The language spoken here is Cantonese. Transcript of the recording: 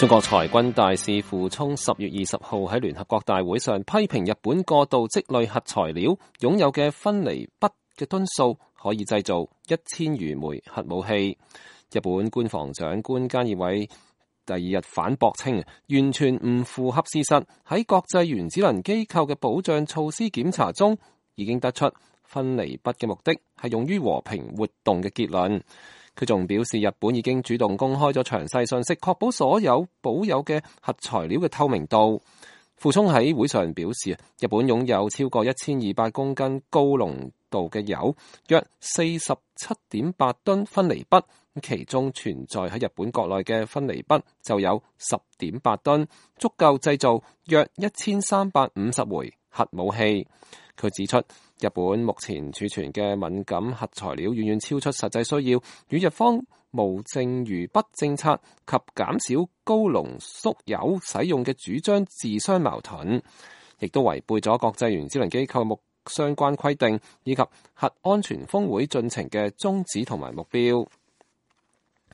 中國裁軍大使傅聰10月20號喺聯合國大會上批評日本過度積累核材料，擁有嘅分離鈈嘅噸數可以製造1000餘枚核武器。日本官房長官菅義偉第二日反駁稱，完全唔符合事實。喺國際原子能機構嘅保障措施檢查中，已經得出分離鈈嘅目的係用於和平活動嘅結論。佢仲表示，日本已經主動公開咗詳細信息，確保所有保有嘅核材料嘅透明度。傅聰喺會上表示，日本擁有超過1200公斤高濃度嘅鈾，約47.8噸分離鈈，其中存在喺日本國內嘅分離鈈就有10.8噸，足夠製造約1350枚核武器。佢指出，日本目前儲存嘅敏感核材料遠遠超出實際需要，與日方無剩餘鈈政策及減少高濃縮鈾使用嘅主張自相矛盾，亦都違背咗國際原子能機構相關規定以及核安全峰會進程嘅宗旨同埋目標。